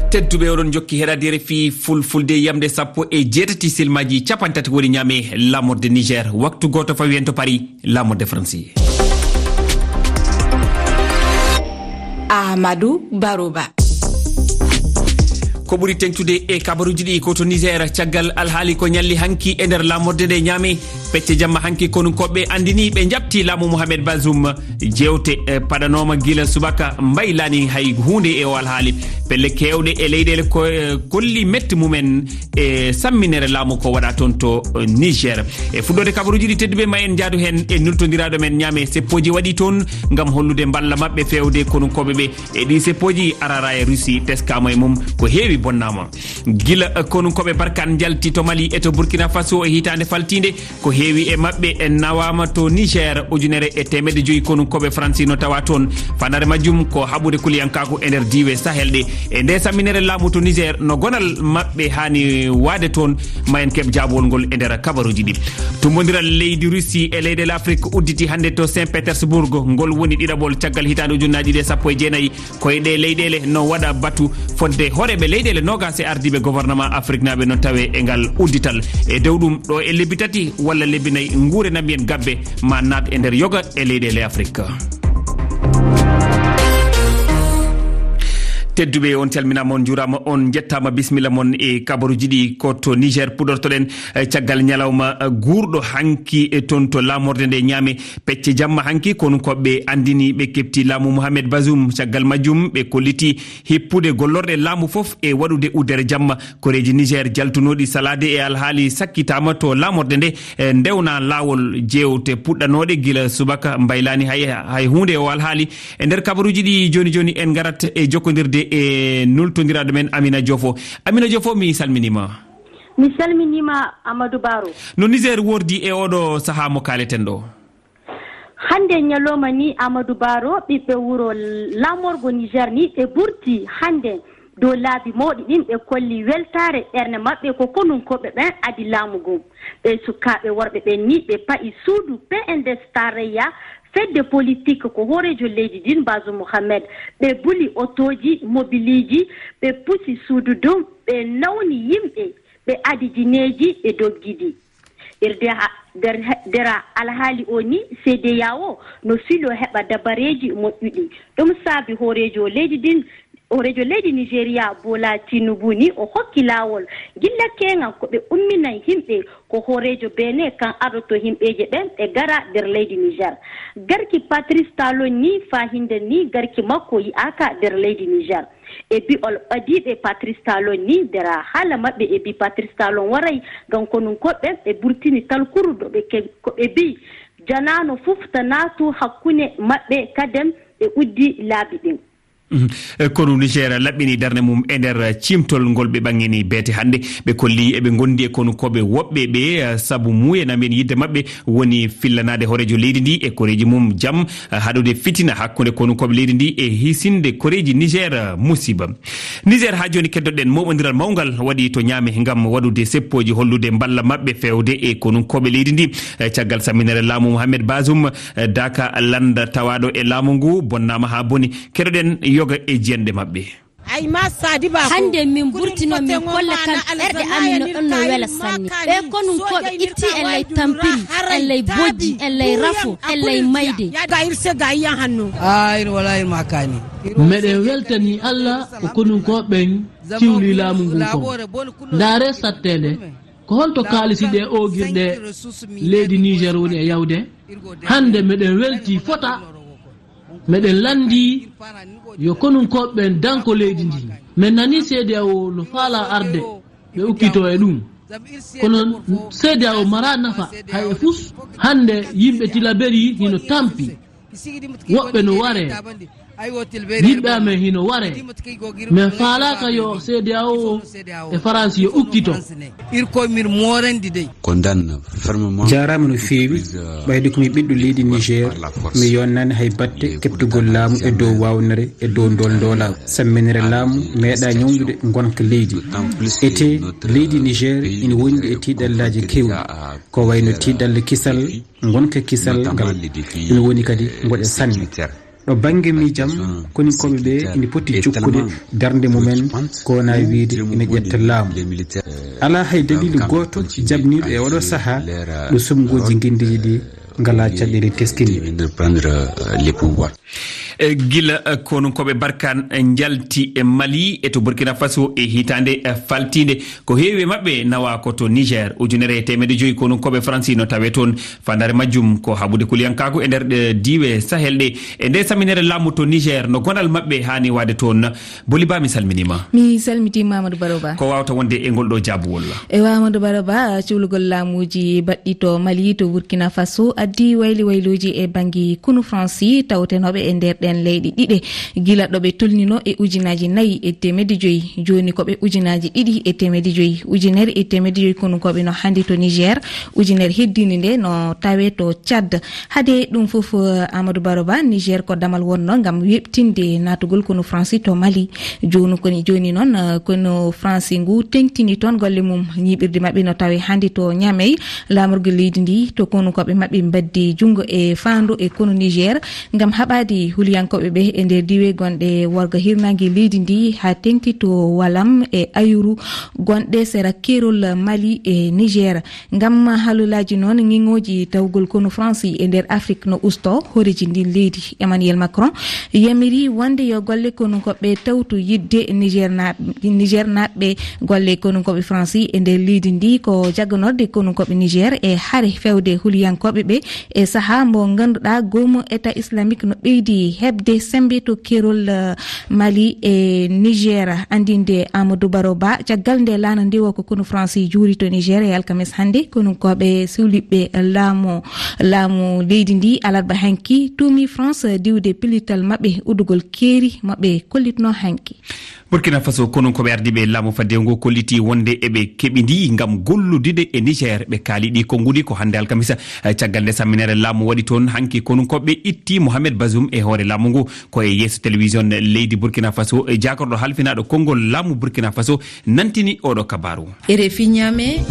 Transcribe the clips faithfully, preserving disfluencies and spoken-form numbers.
Tedduɓe, oɗon jokki heɗaade R F I Fulfulde, yamde sappo e jeetati silmaaji capanɗe tati woni ñaame laamorde Niger. Waktu gooto fawi en to Paris, laamorde Faransi. Amadou Baroba. Ko ɓuri teŋtude e kabaruuji ɗi ko to Niger, caggal alhaali ko ñalli hanki e nder laamorde nde ñaame. Pecce jamma hanki, konunkooɓe anndini ɓe njaɓti laamu Mohamed Bazoum. Jeewte, eh, paɗanooma gila subaka, mbaylaani hay huunde e o alhaali. Pelle keewɗe e leyɗeele ko, eh, kolli metti mumen e samminere laamu ko waɗa toon to, eh, Niger. E fuɗɗoode kabaruuji ɗi, tedduɓe, ma en njaadu heen e nultondiraaɗo men ñaame. Seppooji waɗi toon ngam hollude mballa maɓɓe feewde konunkooɓe ɓe. E ɗi seppooji, Arara e Russie teskaama e mum, ko heewi bonnaama. Gila, eh, konunkooɓe Barkan njalti to Mali e to Burkina Faso e hitaande faltiinde, ko heewi e maɓɓe en nawaama to Niger. Ujunere e teemedde joyi konunkooɓe Faransi no tawa toon. Fanare majjum ko haɓude kuliyankaaku e nder diiwe Sahel ɗe. E nde samminere laamu to Niger, no gonal maɓɓe haani waade toon? Ma en keɓ jaabowol ngol e nder kabaruuji ɗi. Tummbondiral leydi Russie e leyɗeele Afrik udditi hannde to Saint Petersburg. Ngol woni ɗiɗaɓol caggal hitaande ujunnaji ɗiɗi e sappo e jeenayi. Ko e ɗe leyɗeele no waɗa batu fodde hooreeɓe leyɗeele noogaas e ardiiɓe gouvernement afriknaaɓe no tawe e ngal uddital. E dow ɗum, ɗo e lebbi tati walla lebbi nayi, nguure na mbiyen gabbe ma naat e nder yoga e leyɗeele Afrik. Tedduɓe, on calminaama, on njuuraama, on njettaama, bismilla mon e kabaruuji ɗi. Ko to Niger puɗortoɗen, eh, caggal ñalawma, eh, guurɗo hanki, eh, toon to laamorde nde ñaame. Pecce jamma hanki, konunkooɓe anndini ɓe keɓti laamu Mohamed Bazoum. Caggal majjum, ɓe kolliti hippude gollorɗe laamu fof e waɗude uddere jamma. Koreeji Niger jaltunooɗi salaade e alhaali sakkitaama to laamorde nde, e ndewna laawol. Jeewte puɗɗanooɗe gila subaka mbaylaani hay, hay huunde e o alhaali. E nder kabaruuji ɗi jooni jooni, en ngarat e jokkondirde e nultondiraaɗo men Amina Diofo. Amina Diofo, mi salminiima. Mi salminiima, Amadou Baro. No Niger wordi e oɗo sahaa mo kaaleten ɗo? Hannde ñalawma ni, Amadou Baro, ɓiɓɓe wuro laamorgo Niger ni, ɓe burti hannde dow laabi mawɗi ɗin, ɓe kolli weltaare ɓernde maɓɓe ko konunkooɓe ɓen adi laamu ngun. Ɓe sukaaɓe worɓe ɓen ni, ɓe pa'i suudu P N D S tarayya, fedde politik ko hooreejo leydi ndin, Bazoum Mohamed. Ɓe buli otooji, mobiliiji, ɓe pusi suudu ndun, ɓe nawni yimɓe, ɓe adi jineeji, ɓe doggidi. Nder ha-, nder ha-, nder alhaali o ni, C D A O no filo heɓa dabareeji moƴƴuɗi. Ɗum saabi hooreejo leydi ndin, hooreejo leydi Nigeria, Bola Tinubu ni, o hokki laawol gilla keeŋan ko ɓe umminan yimɓe ko hooreejo Benin kan aroto yimɓeeje ɓen ɓe gara nder leydi Niger. Garki Patrice Talon ni, faa hinde ni, garki makko yi'aaka nder leydi Niger. E bi'ol ɓadiiɓe Patrice Talon ni, nder haala maɓɓe e bi Patrice Talon waray ngam konunkooɓe ɓe burtini talkuru ɗo ɓe ke-, ko ɓe bi janaano fof ta naatu hakkunde maɓɓe kaden ɓe uddi laabi ɗin. Mhm. E konu Niger laɓɓini darnde mum e nder ciimtol ngol ɓe ɓaŋŋini beete hannde. Ɓe kolli eɓe ngondi e konunkooɓe woɓɓe ɓe, eh, sabu muuye na mbiyen yidde maɓɓe woni fillanaade hooreejo leydi ndi e koreeji mum jam, eh, haɗude fitina hakkunde konunkooɓe leydi ndi e hisinde koreeji Niger, eh, musiba. Niger, haa jooni keddoɗen mooɓondiral mawngal waɗi to Ñaame ngam waɗude seppooji hollude mballa maɓɓe feewde e konunkooɓe leydi ndi. Eh, caggal samminere laamu Mohamed Bazoum, eh, daaka lannda tawaaɗo e laamu ngu bonnaama haa boni. Keɗoɗen yoga e jiyanɗe maɓɓe. Hannde min burtino min kolla kam ɓerɗe amin no ɗon no wela sanne. Ɓe konunkooɓe itti en ley tampiri, en ley bojji, en ley rafo, en ley mayde. Meɗen weltani Allah ko konunkooɓe ɓen ciwli laamu ngun kon. Ndaare satteende, ko holto kaalisi ɗe oogirɗe leydi Niger woni e yawde? Hannde meɗen welti fota. Meɗen lanndii yo konunkooɓe ɓen danko leydi ndin. Men nanii C D A O no faalaa arde ɓe ukkitoo e ɗum. Kono C D A O maraa nafa hay e fus. Hannde yimɓe Tilaberi hino tampi. Woɓɓe no waree. Yimɓe amen hino waree. Men faalaaka yo C D A O e Faransi yo ukkito. Jaaraama no feewi, ɓayde ko mi ɓiɗɗo leydi Niger, mi yonnaani hay batte keɓtugol laamu e dow waawnere e dow ndool ndoolaagu. Samminere laamu meeɗaa ñawndude ngonka leydi. Etee, leydi Niger ina wondi e tiiɗallaaji keewɗi. Ko wayno tiiɗalla kisal, ngonka kisal ngal. Ɗum woni kadi ngoƴa sanne. Ɗo bannge miijam, koninkooɓe ɓe ina poti jokkude darnde mumen, ko wonaa wiyde ina ƴetta laamu. Alaa hay daliilu gooto jaɓniiɗo e oɗo sahaa ɗo suɓngooji ngenndiiji ɗi ngalaa caɗeele teskinde. E gila, eh, konunkooɓe Barkan, eh, njalti e Mali e to Burkina Faso e hitaande, eh, faltiinde, ko heewi e maɓɓe nawa ko to Niger. Ujunere e teemedde joyi konunkooɓe Faransi no tawe toon. Faandaare majjum ko haɓude kuliyankaagu e nder, eh, diiwe Sahel ɗe. E nde saminere laamu to Niger, no gonal maɓɓe haani waade toon? Boli Ba, mi salminiima. Mi salmitiima, Amadou Baro Ba. Ko waawta wonde e ngol ɗo jaabuwol? E wa Amadou Baro Ba, cuulugol laamuuji baɗɗi to Mali, to Burkina Faso, addi wayli wayluuji e bannge konu Faransi tawtenooɓe e nder ɗeen leyɗe ɗiɗe. Gila ɗo ɓe tolnino e ujunaaji nayi e teemedde joyi, jooni ko ɓe ujunaaji ɗiɗi e teemedde joyi. Ujunere e teemedde joyi konunkooɓe no hannde to Niger, ujunere heddiinde nde no tawe to Tchad. Hade ɗum fof, eh, Amadou Baro Ba, Niger ko damal wonno ngam weɓtinde naatugol konu Faransi to Mali. Jooni koni, jooni noon, eh, konu Faransi ngu teŋtini toon golle mum. Ñiiɓirde maɓɓe no tawe hannde to Niamey. Laamorgo leydi ndi to konunkooɓe maɓɓe mbaddi junngo e faandu e konu Niger ngam haɓaade huliyankooɓe ɓe e nder diiwe gonɗe worgo hirnaange leydi ndi haa teŋti to Walam e Ayuru gonɗe sera keerol Mali e Niger. Ngam halulaaji noon, ŋiŋooji tawgol konu Faransi e nder Afrik no usto. Hooreejo ndin leydi, Emmanuel Macron, yamiri wonde yo golle konunkooɓe tawtu yiɗde Niger naaɓ-, Niger naaɓɓe. Golle konunkooɓe Faransi e nder leydi ndi ko jagganorde konunkooɓe Niger e hare fewde huliyankooɓe ɓe e sahaa mbo ngannduɗaa goomu État Islamique no ɓeydi heɓde semmbe to keerol, eh, Mali e Niger. Anndinde Amadou Baro Ba, caggal nde laana ndiwo ko konu Faransi juuri to Niger e alkames hannde, konunkooɓe suuliɓɓe laamu, laamu leydi ndi alarba hanki tuumi France diwde pellital maɓɓe uddugol keeri maɓɓe kollitno hanki. Burkina Faso, konunkooɓe ardiiɓe laamu faddewu ngu kolliti wonde eɓe keɓidi ngam golludude e Niger. Ɓe kaali ɗi konnguɗi ko hannde alkamisa, eh, caggal nde samminere laamu waɗi toon hanki, konunkooɓe itti Mohamed Bazoum e hoore laamu ngu. Ko e yeeso télévision leydi Burkina Faso, e jaakorɗo halfinaaɗo konngol laamu Burkina Faso nantini oɗo kabaaru. R F I Niamey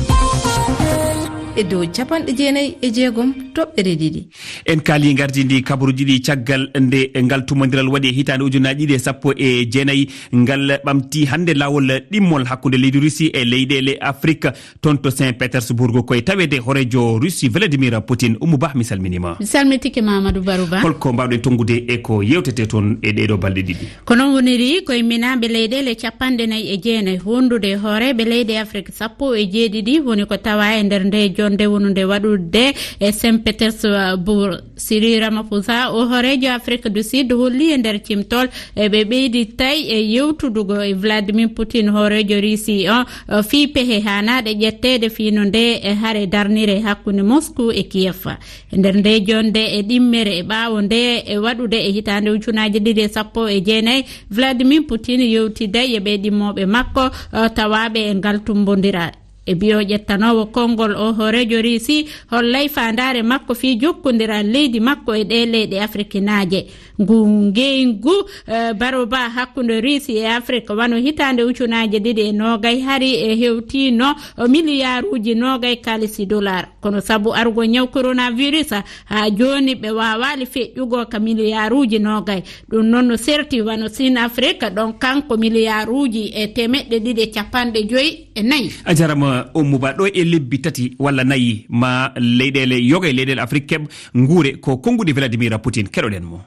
e dow capanɗe jeenayi e jeegom toɓɓere ɗiɗi. En kaali ngardindi kabaruuji ɗi caggal nde ngal tumondiral waɗi e hitaande ujunaaji ɗiɗi e sappo e jeenayi. Ngal ɓamti hannde laawol ɗimmol hakkunde leydi Russie e leyɗeele Afrik. Toon to Saint Petersburg, ko e taweede hooreejo Russie Vladimir Putin. Oumou Bah, mi salminiima. Mi salmitike ma, Amadou Barou Ba. Holko mbaawɗen tonngude e ko yeewtetee toon e ɗeeɗo balɗe ɗiɗi? Ko noon woniri, ko imminaaɓe leyɗeele capanɗe nayi e jeenayi wondude e hooreeɓe leyɗe Afrik sappo e jeeɗiɗi woni ko tawa e nder nde jonnde wonunde waɗude e Saint Petersburg. Cyril Ramaphosa, o hooreejo Afrique du Sud, holli e nder cimtol e ɓe ɓeydi tawi e yewtudugol e Vladimir Putin, hooreejo Russie on, o fii pehe haanaaɗe ƴetteede fii no nde e hare darnire hakkunde Moscou e Kiev. E nder nde jonnde e ɗimmere e ɓaawo nde e waɗude e hitaande ujunaaji ɗiɗi e sappo e jeenayi, Vladimir Putin yewtiday e ɓe ɗimmooɓe makko, o, tawaaɓe e ngal tumbondiral. E biyo ƴettanoowo konngol o hooreejo Russie, hollay faandaare makko fii jokkondiral leydi makko e ɗee leyɗe afrikinaaje. Ngu ngeyngu, eh, baroba hakkunde Russie e Afrique wano hitaande ujunaaji ɗiɗi e noogay hari e hewtino miliyaaruuji noogay kaalisi dollar. Kono sabu arugol ñaw coronavirus, haa jooni ɓe waawaali feƴƴugol ka miliyaaruuji noogay. Ɗum noon no serti wano Sine Afrique, ɗon kanko miliyaaruuji e teemeɗɗe ɗiɗi e capanɗe joyi e nayi. A jarama, Oumou Ba. Ɗo e lebbi tati walla nayi ma leyɗeele yoga e leyɗeele Afrique keɓ nguure, ko konnguɗi Vladimir Putin. Keɗoɗen mo.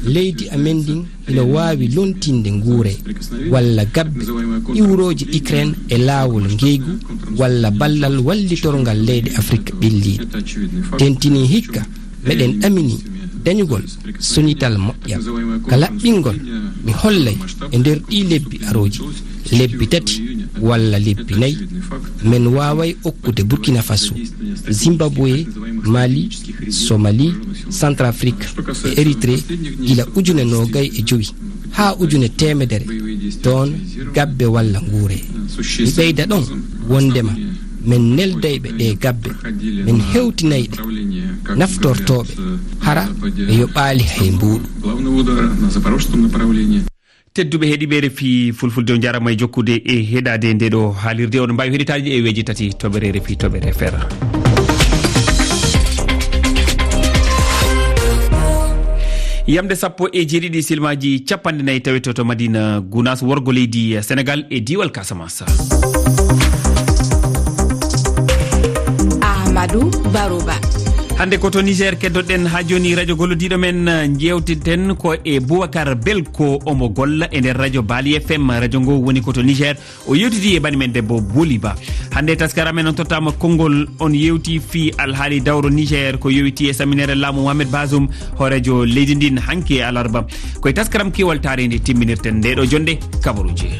Leydi amen ndin ina waawi lontinde nguure walla gabbe iwrooje Ukraine e laawol ngeygu walla ballal wallitorgal leyɗe Afrique ɓelliiɗe. Tentinii hikka, meɗen ɗaminii dañugol sonital moƴƴal. Ka laɓɓingol, mi hollay e nder ɗii lebbi arooji, lebbi tati walla lebbi nayi, men waaway okkude Burkina Faso, Zimbabwe, Mali, Somalie, Centrafrique e Érythrée gila ujune noogay e jowi haa ujune teemedere tonnes gabbe walla nguure. Mi ɓeyda ɗon wonndema men neldayɓe ɗee gabbe, men hewtinayɗe naftortooɓe, hara ɓe yoɓaali hay mbuuɗu. Tedduɓe heɗiiɓe R F I Fulfulde, on njaaraama e jokkude e heɗaade nde ɗo haalirde. On mbaawi heɗitaade e weeji tati toɓɓere R F I toɓɓere F R. Yamde sappo e jeeɗiɗi silmaaji capanɗe nayi tawetoo to Madina Gunaas, worgo leydi Senegal e diiwal Casamance. Amadou Barouba. Hannde ko to Niger keddoɗen haa jooni. Radio gollodiiɗo men, njeewteten ko e Boubacar Belko, omo golla e nder radio Bali F M. Radio ngo woni ko to Niger. O yewtidi e bani men debbo Boli Ba. Hannde e taskaram men on tottama konngol, on yewti fii alhaali dawro Niger ko yowiti e saminere laamu Mohamed Bazoum, hooreejo leydi ndin, hanki e alarba. Ko e taskaram Kiwal Taarindi timminirten nde ɗo jonde kabaruuji.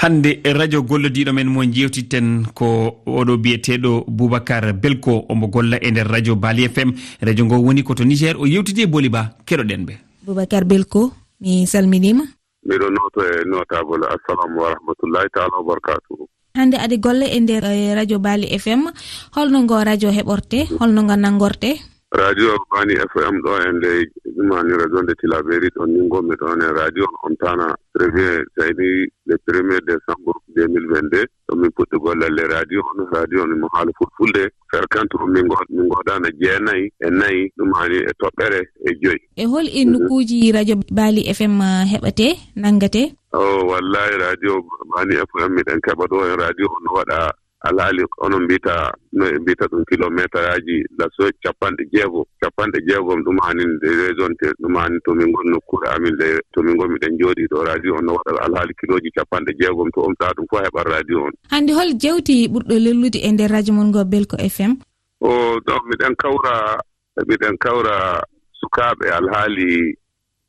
Hannde e radio gollodiiɗo men mo njeewtiten ko oɗo biyeteeɗo Boubacar Belko, omo golla e nder radio Bali F M. Radio ngo woni ko to Niger, o yewtidi e Boli Ba, keɗoɗen ɓe. Boubacar Belko, mi salminiima. Miɗo nooto e notable. Assalamu wa rahmatullahi taala wa barakatuhu. Hannde aɗa golla e nder, eh, radio Bali F M. Holno ngo radio heɓorte? Holno ngo nanngorte? Radio Bani F M ɗo e nde ɗumani radio nde Tilaberi ɗon ni ngonmi ɗon e radio on tana premier, sayni le premier décembre deux mille vingt-deux. Ɗo min puɗɗi gollal le radio on. Radio on mo haala fulfulde. Ferkant on min ngo-, min ngoodana jeenayi e nayi, ɗumani e toɓɓere e joyi. E hol e Mhm. nokkuuji radio Bali F M heɓate, nanngate? O, wallahi, radio Bani F M miɗen keɓa ɗo en radio on no waɗa alhaali, onon mbiyta, no e mbiyta ɗum, kilometeraaji laso capanɗe jeego, capanɗe jeegom, ɗum hanin de raisonte, ɗum hanin to min ngoni nokkuure amin le, to min ngoni miɗen jooɗii ɗo, radio on no waɗa alhaali kilooji capanɗe jeegom, to on taa ɗum fof heɓat radio on. Hannde hol jewti ɓurɗo lellude e nder radio mon ngo Belko F M? O, ɗon miɗen kawra, miɗen kawra sukaaɓe alhaali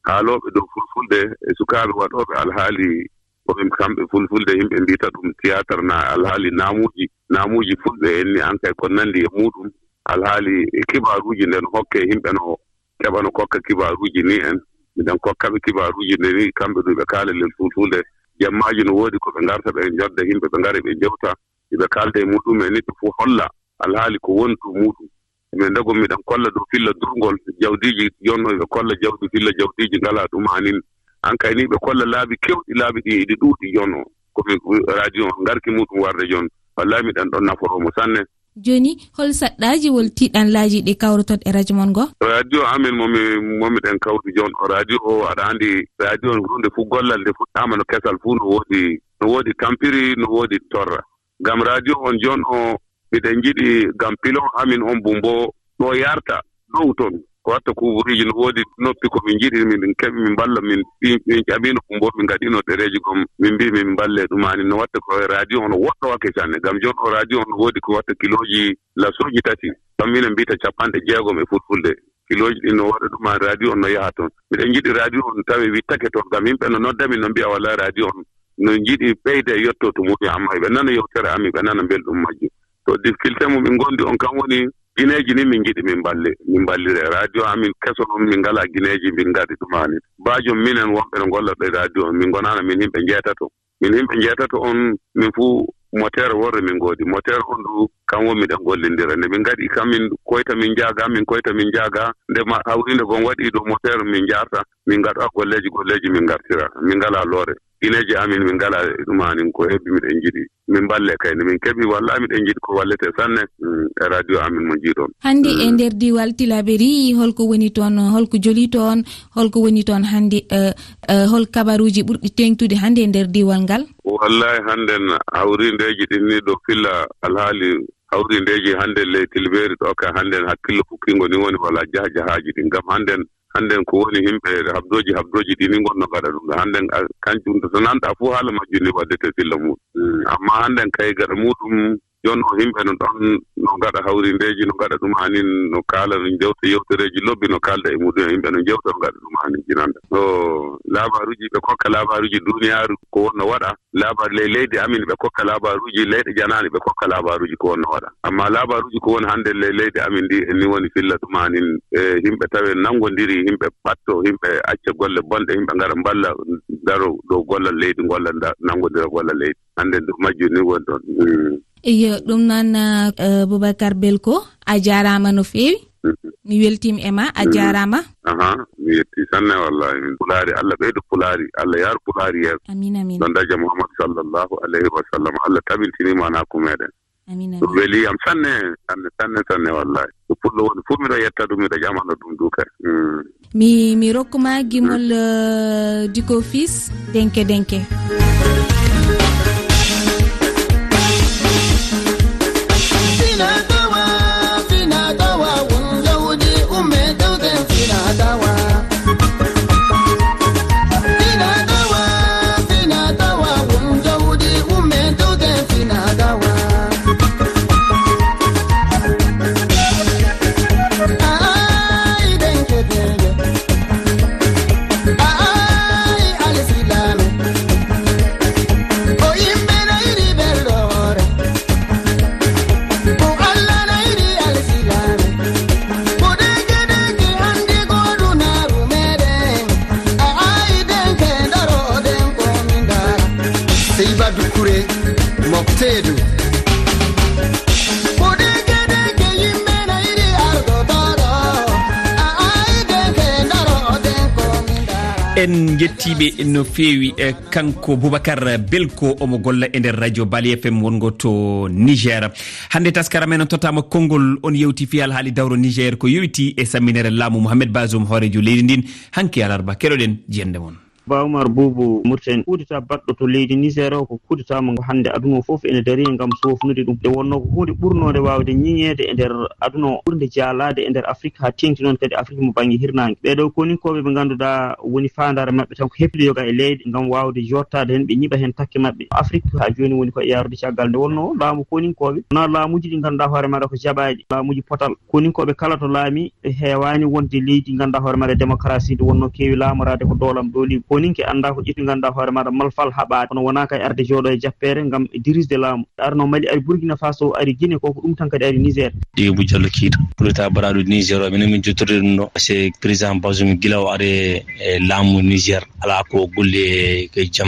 haalooɓe dow fulfulde e sukaaɓe waɗooɓe alhaali ko ɓe kamɓe fulfulde, yimɓe mbiyta ɗum théâtre na alhaali naamuuji, naamuuji fulɓe en ni, an kay ko nanndi e muuɗum, alhaali e kibaaruuji nden hokke yimɓe no keɓa no kokka kibaaruuji ni en, miɗen kokka ɓe kibaaruuji nde ni, kamɓe ɗum ɓe kaala lel fulfulde. Jemmaaji no woodi ko ɓe ngarta ɓe njodda yimɓe, ɓe ngara ɓe njewta, ɓe kaalda e muuɗum en ni, ɓe fof holla alhaali ko woni to muuɗum. Min ndago miɗen kolla dow filla durngol, jawdiiji jonno ɓe kolla jawdi filla jawdiiji ngala ɗum anin. An kay ni ɓe kolla laabi kewɗi, laabi ɗi iɗi ɗuuɗi jonno. Ko mi radio on ngarki muuɗum warde jon. Wallahi miɗen ɗon naforoo mo sanne. Jooni, hol saɗɗaaji, wol tiiɗanlaaji ɗi kawroton e radio mon ngo? Radio amin mo mi, mo miɗen kawri jon o radio o, aɗa andi radio on huunde fof gollal nde fuɗɗaama no kesal fof no woodi, no woodi tampiri, no woodi torra. Ngam radio on jon o, miɗen njiɗi ngam pilon amin on bumbo ɗo yarta dow ton. Ko watta kuuburuuji no woodi noppi ko min njiɗi, min keɓi min mballa, min, min, min ƴamino bumbo, min ngaɗino ɗereeji gom, min mbi min mballe ɗum ani. No watta ko e radio on woɗɗo wakke sanne. Ngam jon o radio on no woodi ko watta kilooji lasooji tati. Kam minen mbiyta capanɗe jeegom e fulfulde. Kilooji ɗin no waɗa ɗum an radio on no yaha ton. Miɗen njiɗi radio on tawe wittake ton. Ngam yimɓe no nodda min no mbiya wala radio on no njiɗi ɓeyda e yetto to muɗum, amma ɓe nana yewtere amin, ɓe nana belɗum majjum. To difficulté mo min ngondi on kan woni gineeji ni min njiɗi min mballe, min mballire. Radio amin keso non min ngala gineeji min ngaɗi ɗum ani. Baajo minen wonɓe no ngolla ɗo e radio on, min ngonana min yimɓe njeetato. Min yimɓe njeetato on, min fuu moteur worre min ngoodi. Moteur on du kan won miɗen gollindira. Nde min ngaɗi kan min koyta min njaaga, min koyta min njaaga. Nde ma hawrinde gon waɗi dow moteur min njaarta, min ngaɗa golleeji, golleeji min ngartira. Min ngala loore. Gineeji amin min ngala e ɗum anin ko hebbi miɗen njiɗi. Min mballe kay nde min keɓi walla miɗen njiɗi ko wallete sanne, mm, e radio amin mo njiɗon. Hannde e Mm. nder diiwal Tilaberi, holko woni toon, holko joli toon, holko woni toon hannde, eh, eh, hol kabaruuji ɓurɗi teeŋtude hannde e nder diiwal ngal? Wallahi hannden hawrindeeji ɗin ni ɗo filla alhaali hawrindeeji hannden ley Tilaberi ɗo ka hannden hakkillo fukkingo ni woni wala jahajahaaji ɗin. Ngam hannden, hannden ko woni yimɓe habdooji, habdooji ɗi ni ngonno ngaɗa ɗum. Hannden a, kanjum to nanɗa fof haala majjum ni waddete filla muɗum. Mm, amma hannden kay gaɗa muɗum, jon o yimɓe no ɗon no ngaɗa hawrindeeji, no ngaɗa ɗum anin, no kaala, no jewta yewtereeji lobbi, no kaalda e muɗum, yimɓe no jewta, no ngaɗa ɗum anin jinanda. O, labaruuji ɓe kokka labaruuji duniyaaru ko wonno waɗa, labar ley leydi amin ɓe kokka labaruuji, leyɗe janaani ɓe kokka labaruuji ko wonno waɗa. Amma labaruuji ko woni hannde ley leydi amin ndi, ni woni filla ɗum anin, e yimɓe tawe nanngondiri, yimɓe ɓatto, yimɓe acca golle bonɗe, yimɓe ngara mballa, daro dow gollal leydi, ngolla nda-, nanngondira gollal leydi. Hannde dow majjum ni woni ɗon. Mm. Iyo, ɗum noon, eh, Boubacar Belko, a jaaraama no feewi. Mhm. Mi weltiima e ma, a Mhm. jaaraama. Aha, mi yetti sanne wallahi. Min Pulaari, Allah ɓeydu Pulaari, Allah yaaru Pulaari yeeso. Amin, amin. Ɗon daja Muhammad sallallahu alayhi wa sallam, Allah tabintini maanaaku meɗen. Amin, amin. Ɗum welii am sanne, sanne, sanne, sanne, wallahi. Ko pullo woni fof, miɗo yetta ɗum, miɗo ƴamano ɗum du kay. Mm. Mi, mi rokkuma gimol, eh, Diko Fils, denke, denke. Seyba Dukure, Mokteedu. En njettiiɓe no feewi, eh, kanko Boubacar Belko, omo golla e nder radio Bali F M wongo to Niger. Hannde taskara men on tottaama konngol, on yewti fii alhaali dawro Niger ko yowitii e samminere laamu Mohamed Bazoum, hooreejo leydi ndin, hanki alarba. Keɗoɗen jiyannde mon. Ba Umar Buubu Murten, kudeta baɗɗo to leydi Niger o ko kudeta mo hannde aduna o fof ene darii ngam soofnude ɗum. Nde wonnoo ko huunde ɓurnoonde waawde ñiŋeede e nder aduna o, ɓurnde jaalaade e nder Afrik, haa teeŋti noon kadi Afrik mo bannge hirnaange. Ɓee ɗoo koninkooɓe ɓe ngannduɗaa woni faandaare maɓɓe tan ko heɓde yoga e leyɗe ngam waawde jooɗtaade heen, ɓe ñiɓa heen takke maɓɓe. Afrik haa jooni woni ko e yaarude caggal. Nde wonnoo laamu koninkooɓe wonaa laamuuji ɗi ngannduɗaa hoore maaɗa ko jaɓaaɗi, laamuuji potal. Koninkooɓe kala to laami, ɓe heewaani wonde leydi ngannduɗaa hoore maaɗa démocratie, nde wonnoo keewi laamoraade ko doolam dooliima. Koninke anndaa ko ƴetti ngannduɗaa hoore maaɗa malfal haɓaade, kono wonaa kay arde jooɗo e jappeere ngam dirisde laamu. Arno Mali, ari Burkina Faso, ari Guinée, ko ko ɗum tan kadi ari Niger. Dibou Diallo Keita, kudeta baɗaaɗo Niger o, minen min jottorde ɗum ɗo. C'est président Bazoum gila o ari e laamu Niger. Alaa ko golle ko jam,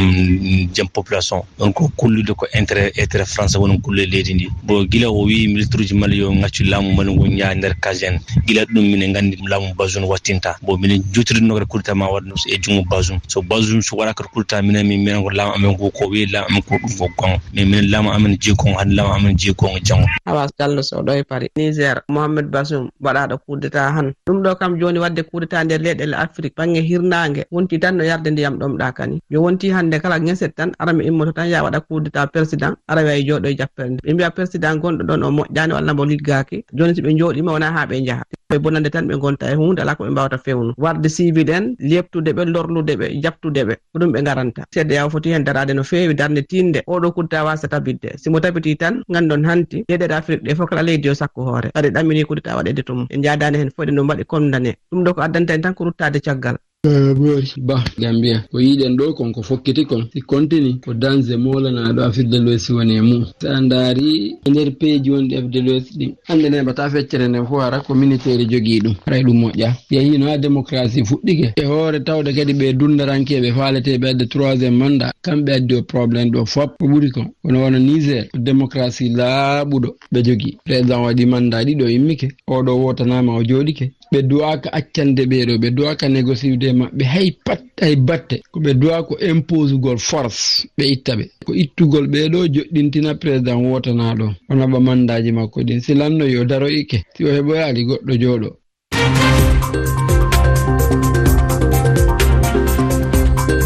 jam population. Ɗon ko kullude ko intérêt, intérêt français woni kullude leydi ndi. Bon, gila o wi militaire uji Mali yo ngaccu laamu Mali ngu ñaa nder case en. Gila ɗum minen nganndi laamu Bazoum wattinta. Bon, minen jottodinno kadi kudeta ma waɗ e junngo Bazoum. So Bazoum so waɗa kadi kudeta minen, min, minen ko laamu amen ngu ko wi laamu amen ko ɗum ko gonga. Mais minen laamu amen jeyi gonga, hannde laamu amen jeyi gonga janngo. Awa Diallo Sow ɗo e Paris. Niger, Mohamed Bazoum waɗaaɗo kudeta han. Ɗum ɗo kam jooni waɗde kudeta nder leyɗeele Afrik, bannge hirnaange, wonti tan no yarde ndiyam ɗomɗaa kani. Yo wonti hannde kala ŋeset tan, ara mi immoto tan, yaa waɗa kudeta président, ara wiya jooɗo e jappere nde. Ɓe mbiya président gonɗo ɗon o moƴƴaani walla mbo liggaaki. Jooni si ɓe njooɗiima, wonaa haa ɓe njaha. Ɓe bonande tan ɓe ngonta e huunde, alaa ko ɓe mbaawata fewnu. Warde civil en, leeptude ɓe, lorlude ɓe, jaɓtude ɓe. Ko ɗum ɓe ngaranta. C D A O foti heen daraade no feewi, darnde tiiɗnde. Oɗo kudeta waasa tabitde. Si mo tabitii tan, nganndon hanti, leyɗeele Afrik ɗe fof kala leydi yo sakku hoore. Kadi ɗaminii kudeta waɗeede to mum. En njaadaani heen fof, eɗen ɗum waɗi condamné. Ɗum ɗo ko addanta en tan ko ruttaade caggal. Eh, Boori Ba, Gambia. Ko yiɗen ɗo kon ko fokkiti kon. Si continue, ko danger moolanaaɗo Afrik de l'Ouest woni e mum. So a ndaari e nder peeji wonɗi Afrik de l'Ouest ɗin, hannde neɓata feccere nden fof hara ko militaire jogii ɗum. Haray ɗum moƴƴa. Yahino ha démocratie fuɗɗike. E hoore tawde kadi ɓe dunndarankeeɓe faaleteeɓe adde troisième mandat, kamɓe addi o problème ɗo fop. Ko ɓuri kon, kono wano Niger, ko démocratie laaɓuɗo ɓe jogii. Président waɗi mandat ɗiɗo, immike. Oɗo wotanaama, o jooɗike. Ɓe duwaaka accande ɓee ɗo, ɓe duwaaka négociude e maɓɓe hay pat, hay batte. Ko ɓe duwa ko imposugol force, ɓe itta ɓe. Ko ittugol ɓee ɗo, joɗɗintina président wotanaaɗo, o naɓa mandaaji makko ɗin. Si lanno yo daro ikke, si o heɓoyaali, goɗɗo jooɗo.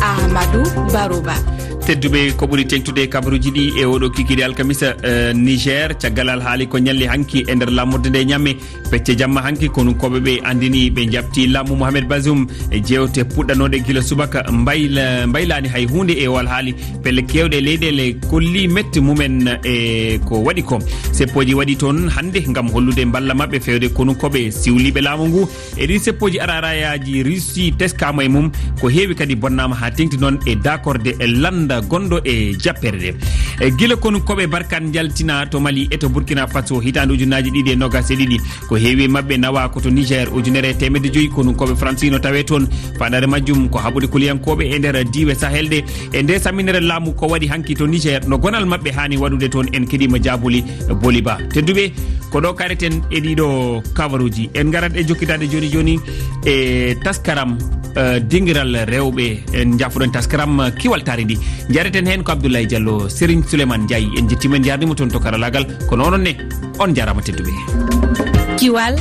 Amadou Barouba. Tedduɓe, ko ɓuri teŋtude e kabaruuji ɗi e oɗo kikiiɗe alkamisa, eh, Niger, caggal alhaali ko ñalli hanki e nder laamorde nde ñamme, pecce jamma hanki, konunkooɓe ɓe anndini ɓe njaɓti laamu Mohamed Bazoum e jeewte puɗɗanooɗe gila subaka mbayla-, mbaylaani hay huunde e o alhaali. Pelle keewɗe leyɗeele kolli mette mumen e ko waɗi ko. Seppooji waɗi toon hannde ngam hollude mballa maɓɓe feewde konunkooɓe siwliiɓe laamu ngu. E ɗin seppooji, ararayaaji Russie teskaama e mum, ko heewi kadi bonnaama haa teŋti noon e daakorde e lannda gonɗo e jappere nde. E gila konunkooɓe Barkan njaltina to Mali e to Burkina Faso hitaande ujunnaaji ɗiɗi e noogaas e ɗiɗi, ko heewi e maɓɓe nawa ko to Niger, ujunere e teemedde joyi konunkooɓe Faransi no tawee toon. Faandaare majjum ko haɓude kuliyankooɓe e nder diiwe Sahel ɗe. E nde samminere laamu ko waɗi hanki to Niger, no gonal maɓɓe haani waɗude toon, en keɗiima jaabuli Boli Ba. Tedduɓe, ko ɗo kareten e ɗiɗo kabaruuji. En ngarat e jokkitaade jooni jooni e taskaram, eh, dingiral rewɓe. En njaafoɗon taskaram, eh, kiwal taari ndi. Njareten heen ko Abdoulaye Diallo, Serigne Souleymane Ndiaye. En njettiima, en njaarniima toon to karalaagal. Kono onon ne, on njaaraama tedduɓe. Kiwal,